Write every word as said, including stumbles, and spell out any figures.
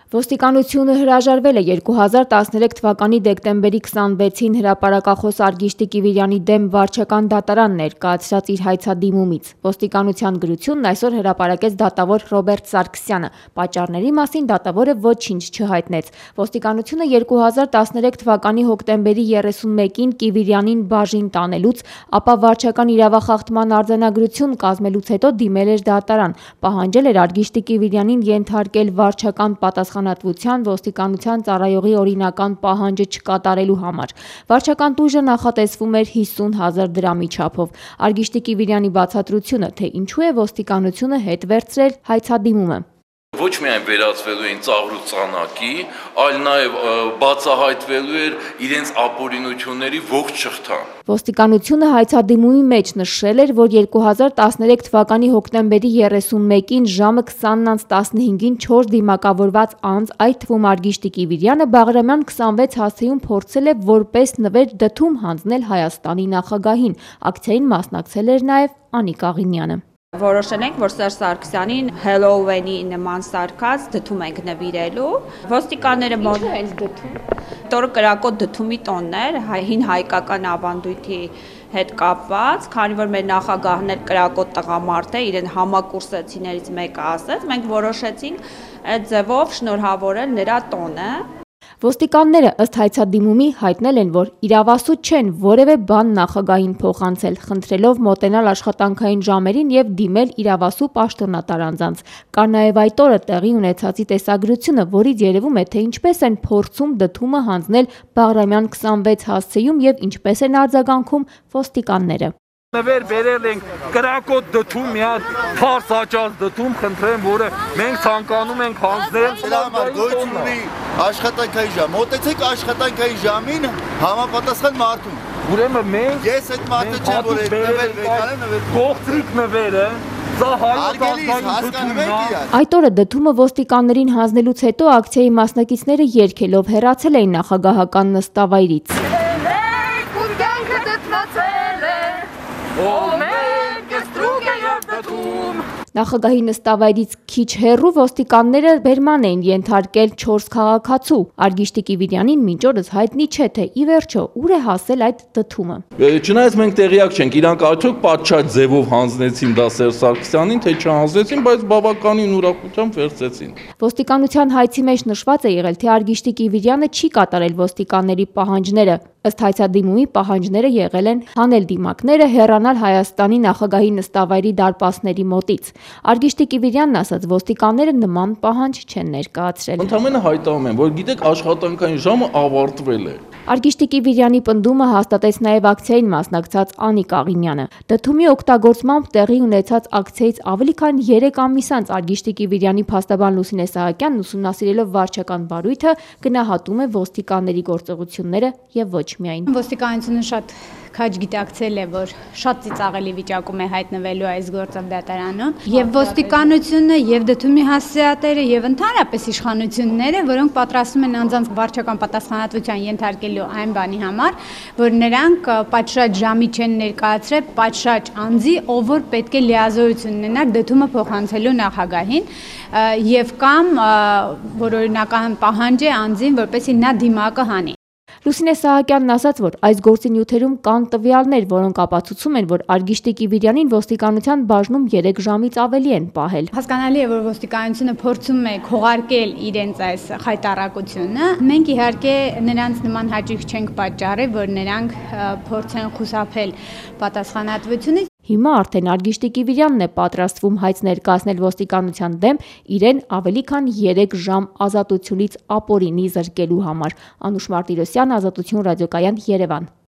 Ոստիկանությունը հրաժարվել է երկու հազար տասներեք թվականի դեկտեմբերի քսանվեցին հրապարակախոս Արգիշտի Կիվիրյանի դեմ վարչական դատարան ներկայացրած իր հայցադիմումից։ Ոստիկանության գրությունն այսօր հրապարակեց դատավոր Ռոբերտ Սարգսյանը։ Պատճառների մասին դատավորը ոչինչ չհայտնեց։ Ոստիկանությունը երկու հազար տասներեք թվականի հոկտեմբերի երեսունմեկին Կիվիրյանին բաժին տանելուց, ապա վարչական իրավախախտման արձանագրություն կազմելուց հետո դիմել էր դատարան, պահանջել էր Արգիշտի Կիվիրյանին ենթարկել վարչական պատասխանատվության ոստիկանության ծառայողի օրինական պահանջը չկատարելու համար։ Վարչական տույժը նախատեսվում էր հիսուն հազար դրամի չափով։ Արգիշտի Կիվիրյանի բացատրությունը, թե ինչու է ոստիկանությունը հետ վերցրել հայցադիմումը։ Ոչ միայն վերածվելու էին ծաղրու ծանակի, այլ նաև բացահայտվելու էր իրենց ապօրինությունների ողջ շղթան։ Ոստիկանությունը հայցադիմումի մեջ նշել էր, որ երկու հազար տասներեք թվականի հոկտեմբերի երեսունմեկին ժամը քսանն անց տասնհինգին չորս դիմակավորված անձ, այդ թվում Արգիշտի Կիվիրյանը, Բաղրամյան քսանվեց հասցեում փորձել է որպես նվեր դդում հանձնել Հայաստանի նախագահին։ Ակցիային մասնակցել էր նաև Անիկ Աղինյանը։ Որոշել ենք, որ Սերժ Սարգսյանին Հելլոուինի նման սարքած դդում ենք նվիրելու։ Ոստիկանները մոտ հենց դդում։ Տորը կրակոտ դդումի տոնն էր, հին հայկական ավանդույթի հետ կապված, քանի որ մեր նախագահն էլ կրակոտ տղամարդ է, իրեն համակուրսեցիներից մեկը ասեց, մենք որոշեցինք այդ ձևով շնորհավորել նրա տոնը։ Ոստիկանները ըստ հայցադիմումի հայտնել են, որ իրավասու չեն որևէ բան նախագահին փոխանցել, խնդրելով մոտենալ աշխատանքային ժամերին եւ դիմել իրավասու պաշտոնատար անձանց։ Կա նաեւ այդ օրը տեղի ունեցածի տեսագրությունը, որից երևում է, թե ինչպես են փորձում դդումը հանձնել Բաղրամյան քսանվեց հասցեում եւ ինչպես են արձագանքում ոստիկանները։ Նվեր բերել ենք կրակոտ դդում, մի հատ փարս աճած դդում, խնդրեմ, որը մենք ցանկանում ենք հանձնել։ Դրա համար գոյություն ունի աշխատանքային ժամ։ Մոտեցեք աշխատանքային ժամին համապատասխան մարդուն։ Ուրեմն մենք ես այդ մարդը չեմ, որ այդ նվեր վեկանեմ, նվեր կողտրիկ նվերը, սա հայկական դդումն է։ Այդ օրը դդումը ոստիկաններին հանձնելուց հետո ակցիայի մասնակիցները երգելով հեռացել էին նախագահական նստավայրից։ Նախագահի նստավայրից քիչ հեռու ոստիկանները բերման էին ենթարկել չորս քաղաքացու։ Արգիշտի Կիվիրյանին մինչ օրս հայտնի չէ, թե ի վերջո ուր է հասել այդ դդումը։ Չնայած մենք տեղյակ չենք, իրանք արդյոք պատշաճ ձևով հանձնեցին դա Սերժ Սարգսյանին, թե չհանձնեցին, բայց բավականին ուրախությամբ վերցրեցին։ Ոստիկանության հայցի մեջ նշված է եղել, թե Արգիշտի Կիվիրյանը չի կատարել ոստիկանների պահանջները։ Ըստ հայցադիմումի պահանջները եղել են հանել դիմակները, հեռանալ Հայաստանի նախագահի նստավայրի դարպասների մոտից։ Արգիշտի Կիվիրյանն ասաց, ոստիկանները նման պահանջ չեն ներկայացրել։ Ընդամենը հայտարարում են, որ գիտեք, աշխատանքային ժամը ավարտվել է։ Արգիշտի Կիվիրյանի պնդումը հաստատեց նաև ակցիային մասնակցած Անիկ Աղինյանը։ Դդումի օգտագործմամբ տեղի ունեցած ակցիայից ավելի քան երեք ամիս անց Արգիշտի Կիվիրյանի փաստաբան Լուսինե Սահակյանն ուսումնասիրելով վարչական բարույթը գնահատում է ոստիկանների գործողությունները եւ ոչ միայն։ Ոստիկանությունը շատ քաջ գիտակցել է, որ շատ ծիծաղելի վիճակում է հայտնվելու այս գործով դատարանում, եւ ոստիկանությունը, եւ դդումի հասցեատերը, եւ ընդհանրապես իշխանությունները, որոնք պատրաստվում են անձանց վարչական պատասխանատվության ենթարկելու այն բանի համար, որ նրանք պատշաճ ժամի չեն ներկայացրել պատշաճ անձի, ով որ պետք է լիազորություն ունենար դդումը փոխանցելու նախագահին, եւ կամ որ օրինական պահանջ է անձին, որպեսզի նա դիմակը հանի։ Լուսինե Սահակյանն ասաց, որ այս գործի նյութերում կան տվյալներ, որոնք ապացուցում են, որ Արգիշտի Կիվիրյանին ոստիկանության բաժնում երեք ժամից ավելի են պահել։ Հասկանալի է, որ ոստիկանությունը փորձում է քողարկել իրենց այս խայտառակությունը։ Մենք իհարկե նրանց նման հաճույք չենք պատճառել, որ նրանք փորձեն խուսափել պատասխանատվությունից։ Հիմա արդեն Արգիշտի Կիվիրյանն է պատրաստվում հայց ներկայացնել ոստիկանության դեմ իրեն ավելի քան երեք ժամ ազատությունից ապօրինի զրկելու համար։ Անուշ Մարտիրոսյան, Ազատություն ռադիոկայան, Երևան։